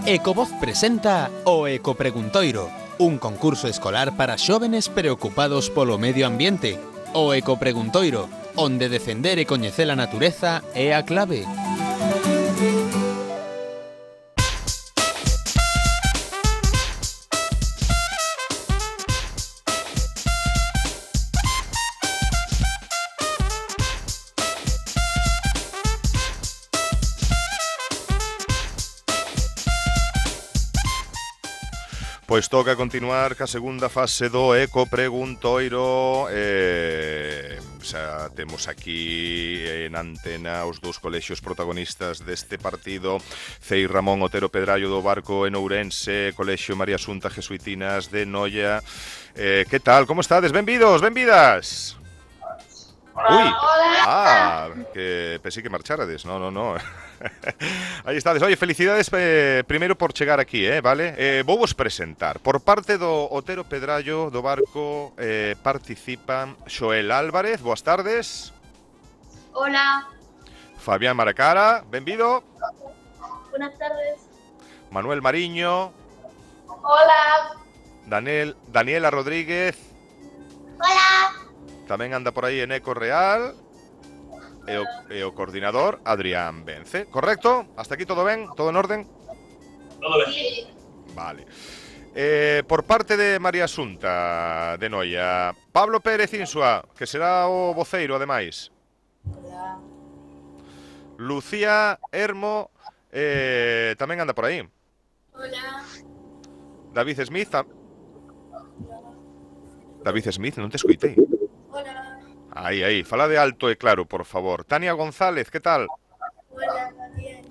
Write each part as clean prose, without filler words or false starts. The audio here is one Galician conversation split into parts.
Ecovoz presenta o Ecopreguntoiro, un concurso escolar para xóvenes preocupados polo medio ambiente. O Ecopreguntoiro, onde defender e coñecer a natureza é a clave. Pois toca continuar ca segunda fase do Ecopreguntoiro. Xa temos aquí en antena os dous colexios protagonistas deste partido, Cei Ramón Otero Pedrallo do Barco en Ourense, Colexio María Asunta Jesuitinas de Noia. Que tal? Como estades? Benvidos, benvidas. Ui, que pensei que marcharades. No. Aí estades. Oye, felicidades primeiro por chegar aquí, vale? Vou vos presentar. Por parte do Otero Pedrallo do Barco participan Xoel Álvarez, boas tardes. Hola. Fabián Maracara, benvido. Buenas tardes. Manuel Mariño. Hola. Daniela Rodríguez. Hola. Tamén anda por aí en Eco Real. E o coordinador Adrián Vence, correcto? Hasta aquí todo ben? Todo en orden? Todo ben. Sí. Vale. Por parte de María Asunta de Noia, Pablo Pérez Insua, que será o voceiro ademais. Hola. Lucía Hermo tamén anda por aí. Hola. David Smith David Smith, non te escoitei. Hola. Aí, fala de alto e claro, por favor. Tania González, que tal? Hola, bien.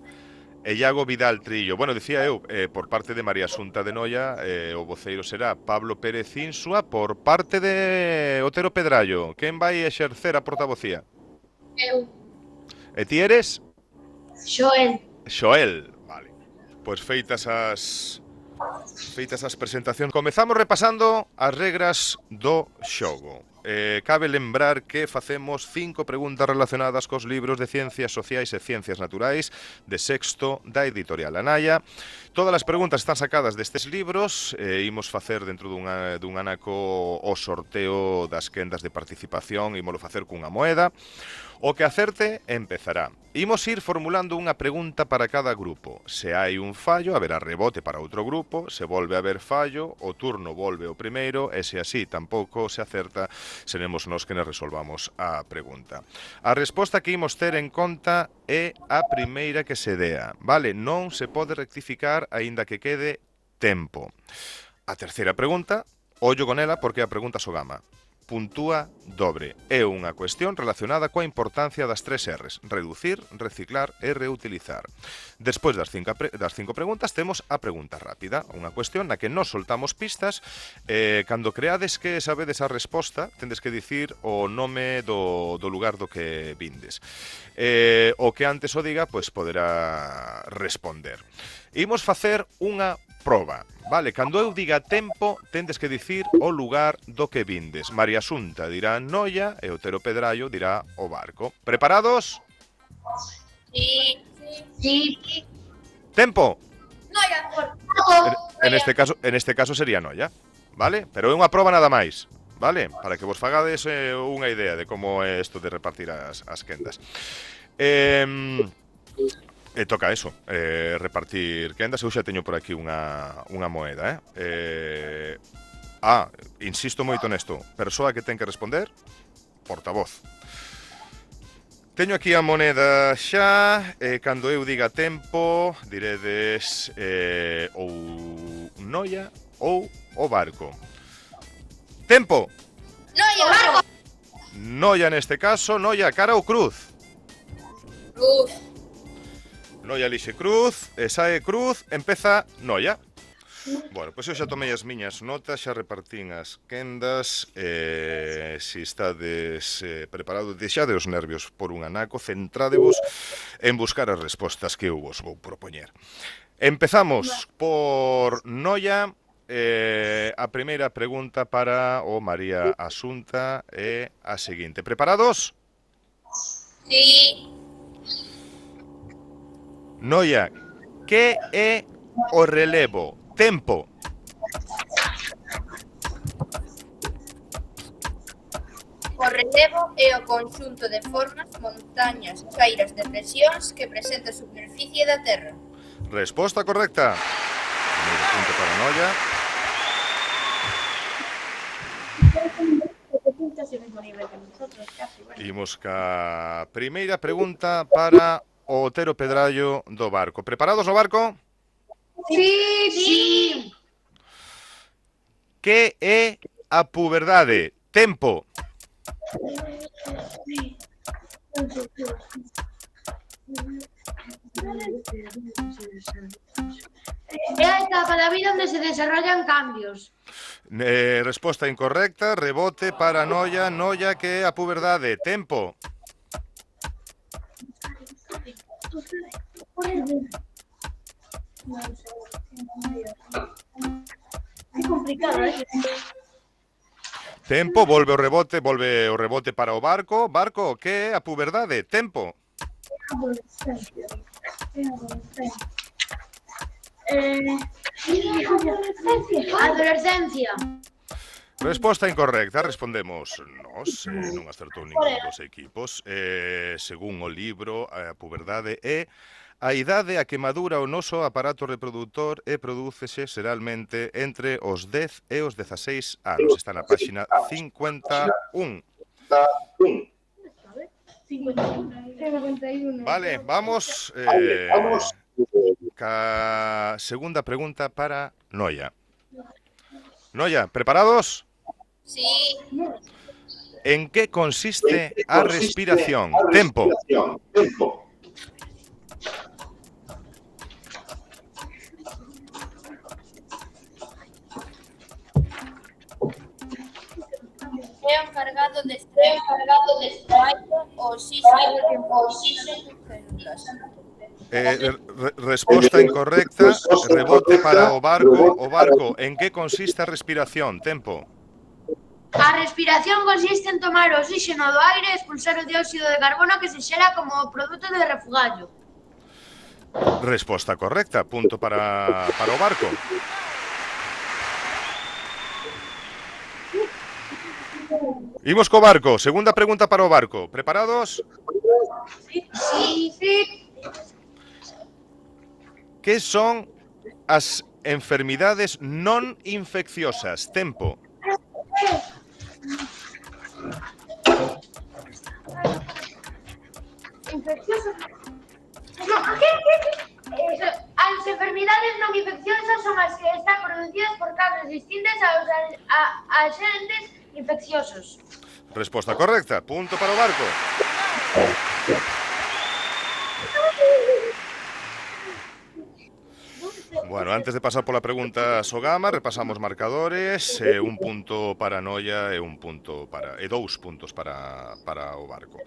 E Iago Vidal Trillo. Bueno, dicía eu, por parte de María Asunta de Noia, o voceiro será Pablo Pérez Insua. Por parte de Otero Pedrallo, quen vai exercer a portavocía? Eu. E ti eres? Xoel. Vale. Pois feitas as presentacións, comezamos repasando as regras do xogo. Cabe lembrar que facemos 5 preguntas relacionadas cos libros de Ciencias Sociais e Ciencias Naturais de sexto da editorial Anaia. Todas as preguntas están sacadas destes libros. Imos facer dentro dun anaco o sorteo das quendas de participación. Imolo facer cunha moeda. O que acerte empezará. Imos ir formulando unha pregunta para cada grupo. Se hai un fallo, haberá rebote para outro grupo. Se volve a haber fallo, o turno volve ao primeiro. E se así tampouco se acerta, seremos nós que nos resolvamos a pregunta. A resposta que imos ter en conta é a primeira que se dea, vale? Non se pode rectificar aínda que quede tempo. A terceira pregunta, ollo con ela porque a pregunta Sogama. Puntúa dobre. É unha cuestión relacionada coa importancia das 3 R's: reducir, reciclar e reutilizar. Despois das 5 preguntas temos a pregunta rápida, unha cuestión na que nos soltamos pistas. Cando creades que sabedes a resposta, tendes que dicir o nome do lugar do que vindes. O que antes o diga, pois poderá responder. Imos facer unha proba, vale? Cando eu diga tempo, tendes que dicir o lugar do que vindes. María Asunta dirá Noia e Otero Pedrallo dirá o Barco. Preparados? Sí. Tempo. Noia. En este caso sería Noia, vale? Pero é unha proba nada máis, vale? Para que vos fagades unha idea de como é isto de repartir as quendas. Toca eso, repartir quendas. Eu xa teño por aquí unha moeda, insisto moito nesto. Persoa que ten que responder, portavoz. Teño aquí a moneda xa, cando eu diga tempo, diredes ou Noia ou o Barco. Tempo! Noia. Barco. Noia neste caso. Noia, cara ou cruz? Cruz. Noia lixe cruz, e sae cruz, empeza Noia. Bueno, pois eu xa tomei as miñas notas, xa repartín as quendas. Se estades preparados, deixade os nervios por un anaco, centradevos en buscar as respostas que eu vos vou propoñer. Empezamos por Noia. A primeira pregunta para o María Asunta é a seguinte. Preparados? Sí. Noia, que é o relevo? Tempo. O relevo é o conxunto de formas, montañas, cairas, depresións que presenta a superficie da Terra. Resposta correcta. Primeiro punto para Noia. Imos ca primeira pregunta para o Otero Pedrallo do Barco. Preparados no barco? Sí. Que é a puberdade? Tempo. É a etapa da vida onde se desarrollan cambios. Resposta incorrecta. Rebote para Noia. Noia, que é a puberdade? Tempo. É complicado, Tempo, volve o rebote para o barco. Barco, que é a puberdade? Tempo. Adolescencia. Resposta incorrecta. Respondemos nós. Non acertou ningún dos equipos. Según o libro, a puberdade é a idade a que madura o noso aparato reproductor e prodúcese xeralmente entre os 10 e os 16 anos. Está na páxina 51. Vale, vamos ca segunda pregunta para Noia. Noia, preparados? Sí. En que consiste a respiración? Tempo. É o encargado de extraer o oxígeno células. Resposta incorrecta. Rebote para o barco. O barco, en que consiste a respiración? Tempo. A respiración consiste en tomar o oxígeno do aire e expulsar o dióxido de carbono que se xera como produto de refugallo. Resposta correcta. Punto para o barco. Imos co barco. Segunda pregunta para o barco. Preparados? Sí. Que son as enfermidades non infecciosas? Tempo. Infeccioso. As enfermidades non infecciosas son as que están producidas por causas distintas aos agentes infecciosos. Resposta correcta. Punto para o barco. Bueno, antes de pasar pola pregunta Sogama, repasamos marcadores. Un punto para Noia e dous puntos para o barco.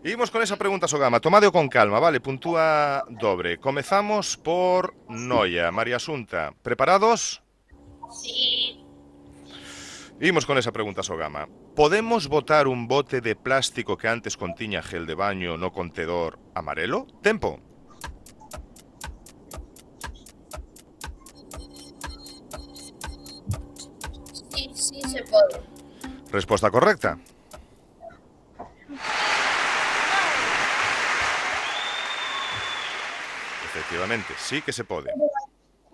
Imos con esa pregunta Sogama. Tomadeo con calma, vale? Puntúa dobre. Comezamos por Noia. María Asunta, preparados? Sí. Imos con esa pregunta Sogama. Podemos botar un bote de plástico que antes contiña gel de baño no contedor amarelo? Tempo. Sí se pode. Resposta correcta. Efectivamente, sí que se pode.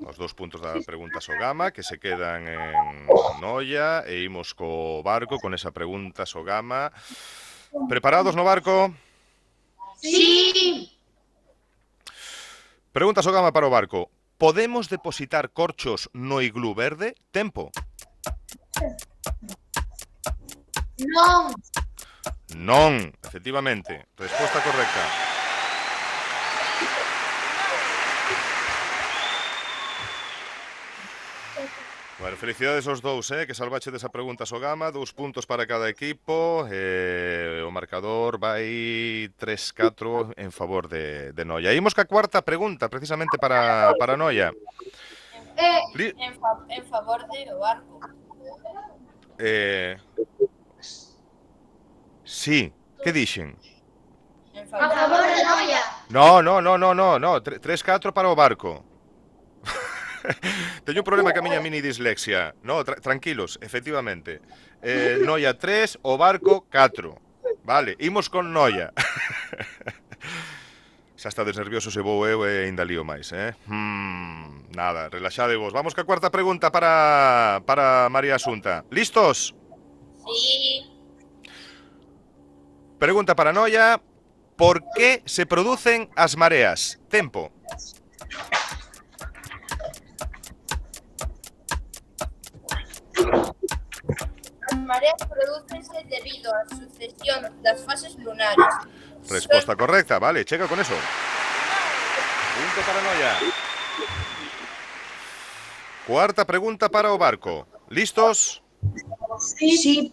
Os dous puntos da pregunta Sogama que se quedan en Noia e imos co barco con esa pregunta Sogama. Preparados no barco? Sí. Pregunta Sogama para o barco. Podemos depositar corchos no iglú verde? Tempo. Non. Non, efectivamente. Resposta correcta. Bueno, felicidades aos dous, que salvache desa pregunta Sogama. 2 puntos para cada equipo. O marcador vai 3-4 en favor de Noia. Imos ca cuarta pregunta, precisamente para Noia. En favor de o barco. Sí, que dixen? En A favor de Noia. No, 3-4 para o barco. Teño un problema ca miña mini dislexia. No, tranquilos, efectivamente. Noia 3, o barco 4. Vale, imos con Noia. Xa estades nerviosos e vou eu e ainda lío máis, nada, relaxadevos. Vamos ca cuarta pregunta para María Asunta. Listos? Sí. Pregunta para Noia. Por que se producen as mareas? Tempo. As mareas prodúcense debido á sucesión das fases lunares. Resposta correcta, vale, chega con eso. Punto para Noia. Cuarta pregunta para o barco. Listos? Sí.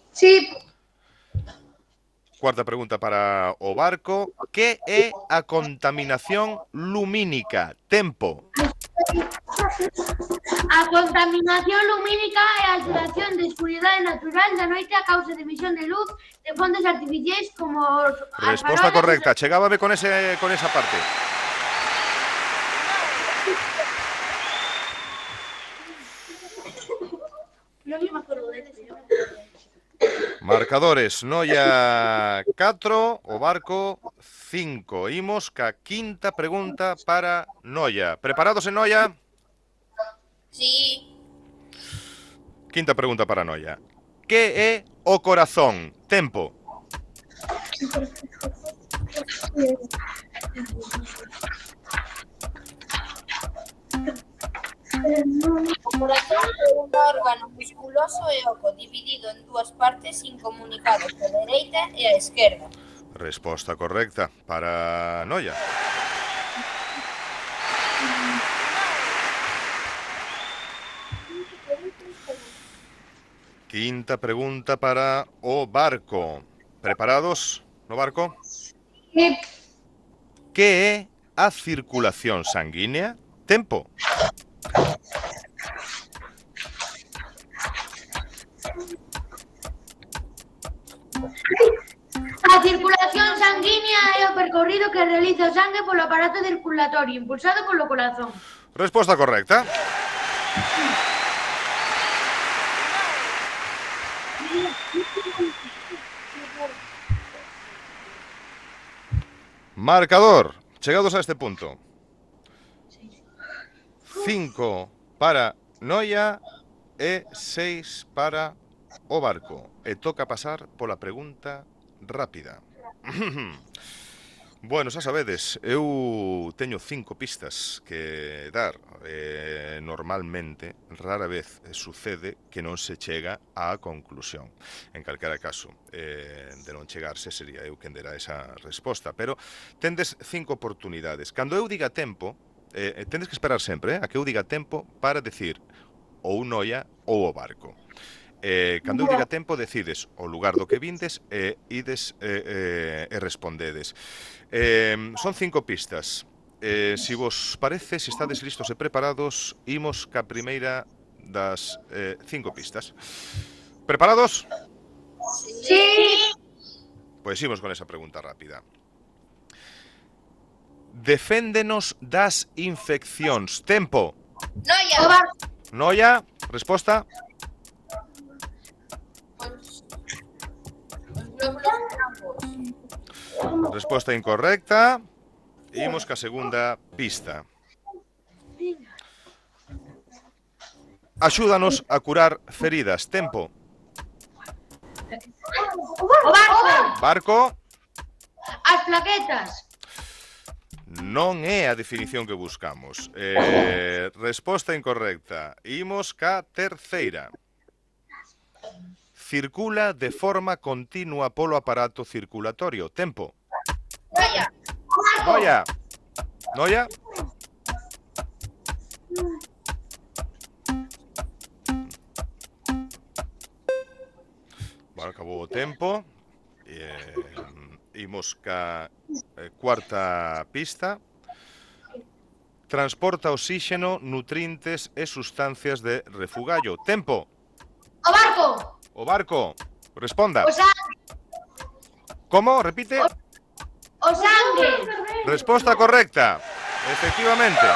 Cuarta pregunta para o barco. Que é a contaminación lumínica? Tempo. A contaminación lumínica é a alteración de escuridade natural da noite a causa de emisión de luz de fontes artificiais como os Resposta farolas. correcta. Chegábame con esa parte. Non me acordo de eso. Marcadores. Noia 4, o barco 5. Imos ca quinta pregunta para Noia. Preparados en Noia? Sí. Quinta pregunta para Noia. Que é o corazón? Tempo. O corazón é un órgano musculoso e oco dividido en dúas partes incomunicadas, a dereita e a esquerda. Resposta correcta para Noia. Quinta pregunta para o barco. Preparados no barco? Sí. Que é a circulación sanguínea? Tempo. A circulación sanguínea é o percorrido que realiza o sangue polo aparato circulatorio impulsado polo corazón. Resposta correcta. Marcador. Chegados a este punto. 5 para Noia e 6 para o barco. E toca pasar pola pregunta rápida. Bueno, xa sabedes, eu teño 5 pistas que dar. Normalmente, rara vez sucede que non se chega á conclusión. En calquera caso, de non chegarse, sería eu quen dera esa resposta. Pero tendes 5 oportunidades. Cando eu diga tempo, tendes que esperar sempre a que eu diga tempo para decir ou Noia ou o barco. Cando eu diga tempo, decides o lugar do que vindes e ides e respondedes. Son 5 pistas. Si vos parece, se estades listos e preparados, imos ca primeira das 5 pistas. Preparados? Sí. Pois imos con esa pregunta rápida. Deféndenos das infeccións. Tempo. Noia. Noia, resposta. Os glóbulos blancos. Resposta incorrecta. Imos ca segunda pista. Axúdanos a curar feridas. Tempo. O barco. Barco. As plaquetas. Non é a definición que buscamos. Resposta incorrecta. Imos ca terceira. Circula de forma continua polo aparato circulatorio. Tempo. Noia. Noia. Noia. Bueno, acabou o tempo. Imos ca cuarta pista. Transporta oxígeno, nutrientes e sustancias de refugallo. Tempo. O barco. O barco. Responda. O sangue. Como? Repite. O sangue. Resposta correcta. Efectivamente.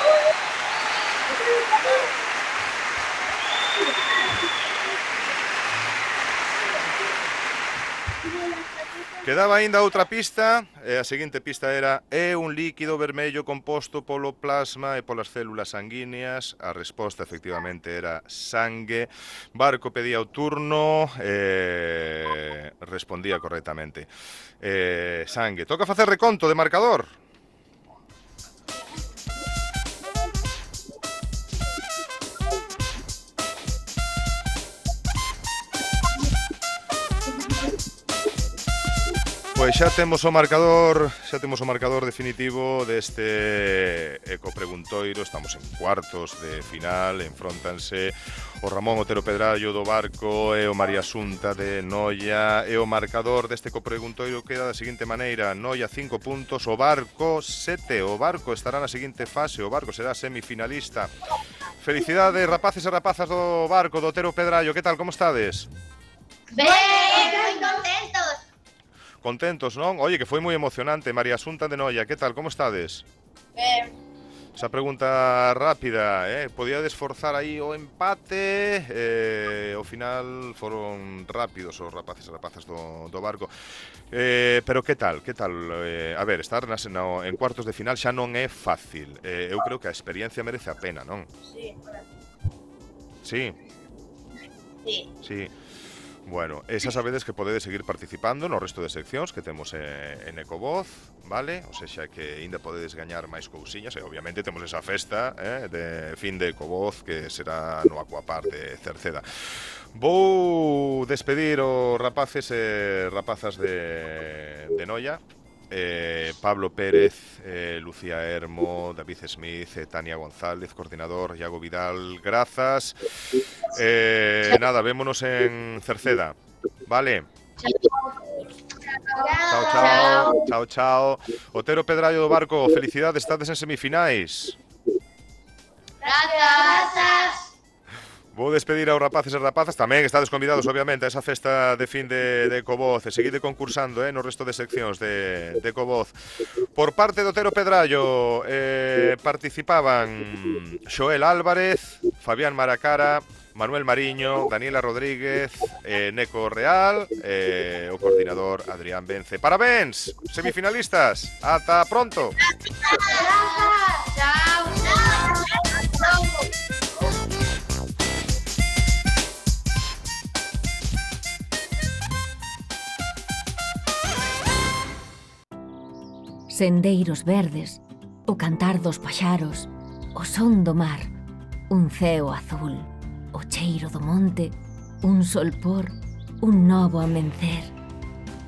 Quedaba aínda outra pista, e a seguinte pista era: é un líquido vermello composto polo plasma e polas células sanguíneas. A resposta efectivamente era sangue. Barco pedía o turno, respondía correctamente. Sangue. Toca facer reconto de marcador. Pois xa temos o marcador definitivo deste ecopreguntoiro. Estamos en cuartos de final, enfróntanse o Ramón Otero Pedrallo do Barco e o María Xunta de Noia, e o marcador deste ecopreguntoiro queda da seguinte maneira: Noia 5 puntos, o Barco 7. O Barco estará na seguinte fase, o Barco será semifinalista. Felicidades, rapaces e rapazas do Barco, do Otero Pedrallo. Que tal, como estades? Ben, moi contentos. Contentos, non? Oye, que foi moi emocionante. María Xunta de Noia, que tal, como estades? Esa pregunta rápida, podíades forzar aí o empate, ao final foron rápidos os rapaces e rapazas do Barco. Pero que tal? A ver, estar en cuartos de final xa non é fácil. Eu creo que a experiencia merece a pena, non? Sí. Sí. Bueno, xa sabedes que podedes seguir participando no resto de seccións que temos en Ecovoz, vale? O sexa que ainda podedes gañar máis cousiñas, e obviamente temos esa festa de fin de Ecovoz que será no Aquapar de Cerceda. Vou despedir os rapaces e rapazas de Noia. Pablo Pérez, Lucía Hermo, David Smith, Tania González, coordinador, Iago Vidal, grazas. Nada, vémonos en Cerceda, vale? Chao. Otero Pedrallo do Barco, felicidades, estades en semifinais. Grazas. Vou despedir aos rapaces e rapazas. Tamén estades convidados, obviamente, a esa festa de fin de Ecovoz. E seguide concursando no resto de seccións de Ecovoz. Por parte do Otero Pedrallo participaban Xoel Álvarez, Fabián Maracara, Manuel Mariño, Daniela Rodríguez, Neco Real, o coordinador Adrián Vence. Parabéns, semifinalistas. Ata pronto. Chao. Sendeiros verdes, o cantar dos paxaros, o son do mar, un ceo azul, o cheiro do monte, un solpor, un novo amencer.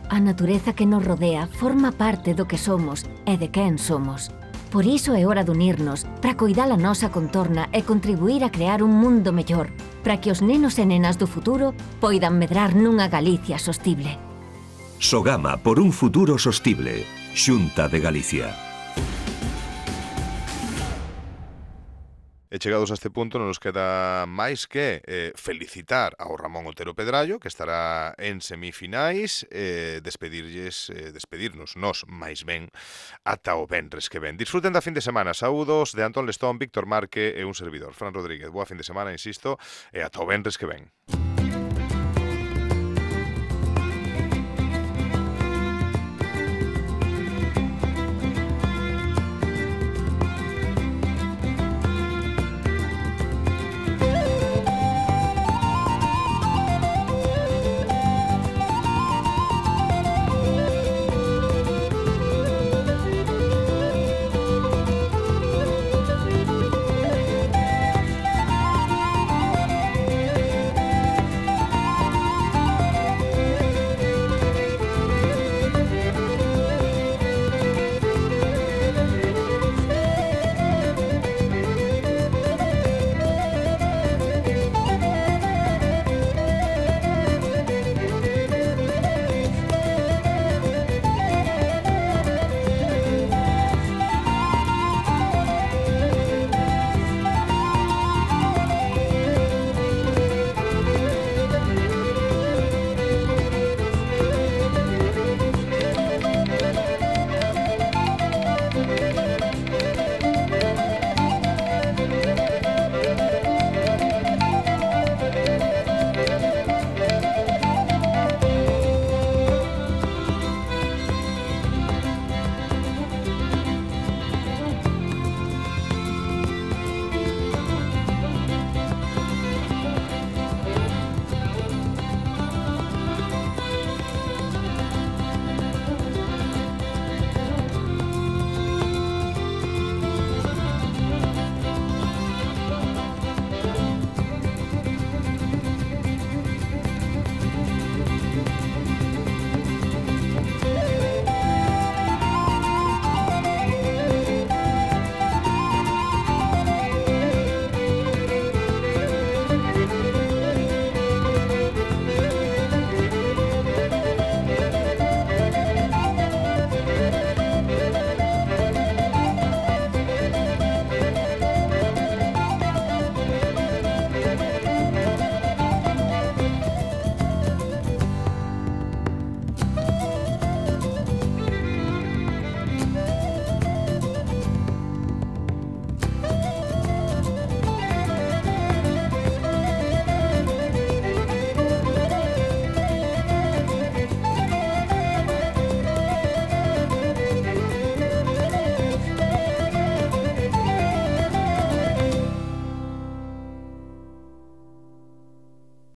A natureza que nos rodea forma parte do que somos e de quen somos. Por iso é hora de unirnos para coidar a nosa contorna e contribuir a crear un mundo mellor, para que os nenos e nenas do futuro poidan medrar nunha Galicia sostible. Sogama por un futuro sostible. Xunta de Galicia. E chegados a este punto non nos queda máis que felicitar ao Ramón Otero Pedrallo, que estará en semifinais, despedirnos nós máis ben ata o venres que ven. Disfruten da fin de semana. Saúdos de Antón Lestón, Víctor Marque e un servidor, Fran Rodríguez. Boa fin de semana, insisto, e ata o venres que ven.